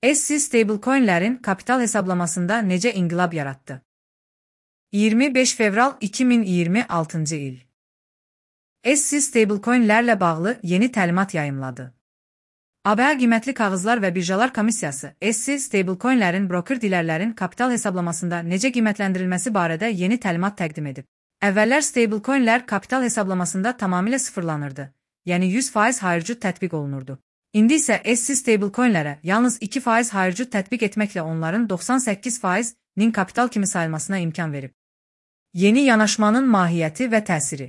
SC stablecoinlərin kapital hesablamasında necə inqilab yaratdı? 25 fevral 2026 il. SC stablecoinlərlə bağlı yeni təlimat yayımladı. ABA Qiymətli Kağızlar və Birjalar Komissiyası SC stablecoinlərin broker dilərlərin kapital hesablamasında necə qiymətləndirilməsi barədə yeni təlimat təqdim edib. Əvvəllər stablecoinlər kapital hesablamasında tamamilə sıfırlanırdı, yəni 100% hayırcud tətbiq olunurdu. İndi isə SC stablecoinlərə yalnız 2% hayırcud tətbiq etməklə onların 98%-nin kapital kimi sayılmasına imkan verib. Yeni yanaşmanın mahiyyəti və təsiri.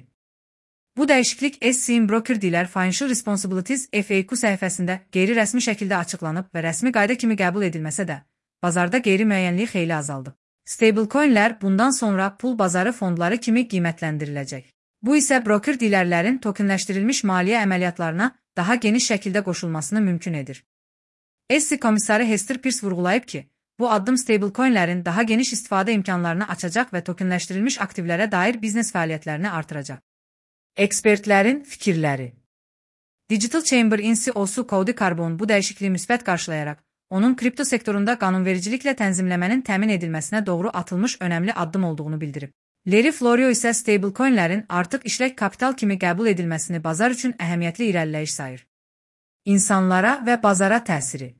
Bu dəyişiklik SC-in Broker Dealer Financial Responsibilities FAQ səhifəsində qeyri-rəsmi şəkildə açıqlanıb və rəsmi qayda kimi qəbul edilməsə də, bazarda qeyri-müəyyənlik xeyli azaldı. Stablecoinlər bundan sonra pul bazarı fondları kimi qiymətləndiriləcək. Bu isə broker dealerlərin tokenləşdirilmiş maliyyə əməliyyatlarına daha geniş şəkildə qoşulmasını mümkün edir. SC komissarı Hester Peirce vurğulayıb ki, bu addım stablecoinlərin daha geniş istifadə imkanlarını açacaq və tokenləşdirilmiş aktivlərə dair biznes fəaliyyətlərini artıracaq. Ekspertlərin fikirləri. Digital Chamber CEO-su Cody Carbone bu dəyişikliyi müsbət qarşılayaraq, onun kripto sektorunda qanunvericiliklə tənzimləmənin təmin edilməsinə doğru atılmış önəmli addım olduğunu bildirib. Larry Florio isə stablecoinlərin artıq işlək kapital kimi qəbul edilməsini bazar üçün əhəmiyyətli irəliləyiş sayır. İnsanlara və bazara təsiri.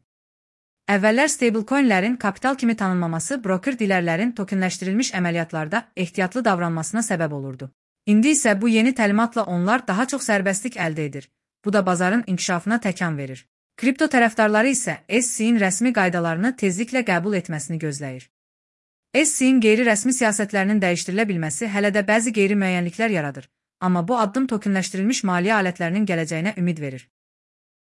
Əvvəllər stablecoinlərin kapital kimi tanınmaması broker dilərlərin tokenləşdirilmiş əməliyyatlarda ehtiyatlı davranmasına səbəb olurdu. İndi isə bu yeni təlimatla onlar daha çox sərbəstlik əldə edir. Bu da bazarın inkişafına təkan verir. Kripto tərəfdarları isə SC-in rəsmi qaydalarını tezliklə qəbul etməsini gözləyir. SC-in qeyri-rəsmi siyasətlərinin dəyişdirilə bilməsi hələ də bəzi qeyri-müəyyənliklər yaradır, amma bu addım tokenləşdirilmiş maliyyə alətlərinin gələcəyinə ümid verir.